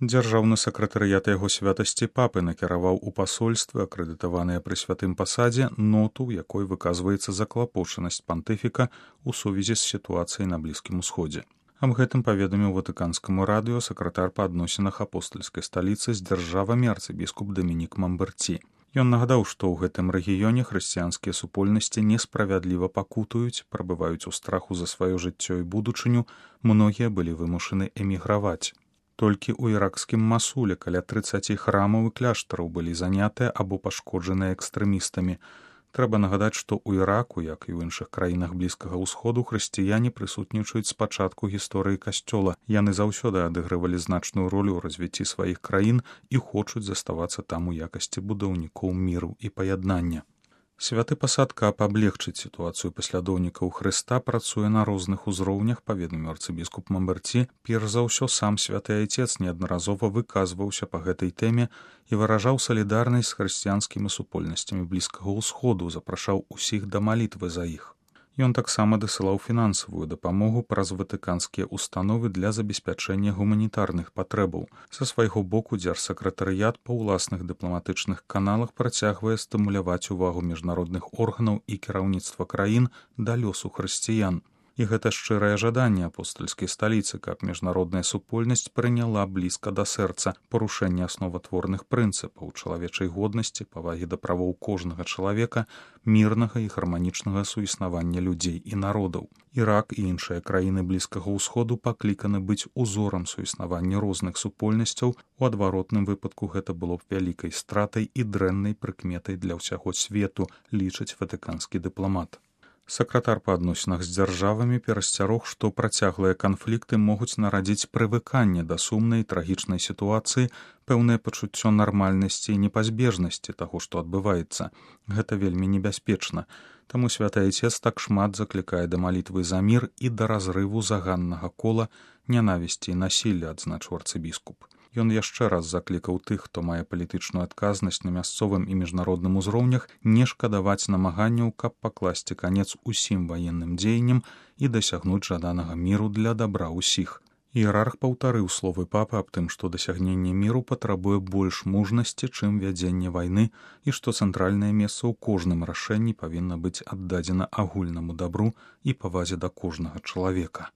Дзяржаўны сакратарыят яго святасці папы накіраваў у пасольствы, акрэдытаваныя пры святым пасадзе, ноту, у якой выказваецца заклапочанасць пантыфіка ў сувязі з сітуацыяй на Блізкім Усходзе. Аб гэтым паведаміў ватыканскаму радыё сакратар па адносінах апостальскай сталіцы з дзяржавамі арцыбіскуп Дамінік Мамберці. Ён нагадаў, што ў гэтым рэгіёне хрысціянскія супольнасці несправядліва пакутуюць, прабываюць у страху за сваё жыццё і будучыню, многія былі вымушаны эміграваць. Толькі ў іракскім Масуле каля 30 храмаў і кляштараў былі занятыя або пашкоджаныя экстрэмістамі. Трэба нагадаць, што ў Іраку, як і ў іншых краінах Блізкага ўсходу, хрысціяне прысутнічаюць з пачатку гісторыі касцёла. Яны заўсёды адыгрывалі значную ролю ў развіцці сваіх краін і хочуць заставацца там у якасці будаўнікоў міру і паяднання. Святы пасад, каб аблегчыць сітуацыю паслядоўнікаў Хрыста, працуе на розных узроўнях, паведаміў арцыбіскуп Мамберці. Перш за ўсё, сам святы айцец неаднаразова выказваўся па гэтай тэме і выражаў салідарнасць з хрысціянскімі супольнасцямі Блізкага ўсходу, запрашаў усіх да малітвы за іх. Ён таксама дасылаў фінансавую дапамогу праз ватыканскія установы для забеспячэння гуманітарных патрэбаў. Са свайго боку дзяржсакратарыят па ўласных дыпламатычных каналах працягвае стымуляваць увагу міжнародных органаў і кіраўніцтва краін да лёсу хрысціян. І гэта шчырае жаданне апостальскай сталіцы, каб міжнародная супольнасць прыняла блізка да сэрца парушэнне асноватворных прынцыпаў чалавечай годнасці, павагі да правоў кожнага чалавека, мірнага і гарманічнага суіснавання людзей і народаў. Ірак і іншыя краіны Блізкага ўсходу пакліканы быць узорам суіснавання розных супольнасцяў, у адваротным выпадку гэта было б вялікай стратай і дрэннай прыкметай для ўсяго свету, лічыць ватыканскі дыпламат. Сакратар па адносінах з дзяржавамі перасцярог, што працяглыя канфлікты могуць нарадзіць прывыканне да сумнай трагічнай сітуацыі, пэўнае пачуццё нармальнасці і непазбежнасці таго, што адбываецца. Гэта вельмі небяспечна. Таму святы айцец так шмат заклікае да малітвы за мір і да разрыву заганнага кола нянавісці і насілля, адзначыў арцыбіскуп. Ён яшчэ раз заклікаў тых, хто мае палітычную адказнасць на мясцовым і міжнародным узроўнях, не шкадаваць намаганняў, каб пакласці канец усім ваенным дзеянням і дасягнуць жаданага міру для дабра ўсіх. Іерарх паўтарыў словы папы аб тым, што дасягненне міру патрабуе больш мужнасці, чым вядзенне вайны, і што цэнтральнае месца ў кожным рашэнні павінна быць аддадзена агульнаму дабру і павазе да кожнага чалавека.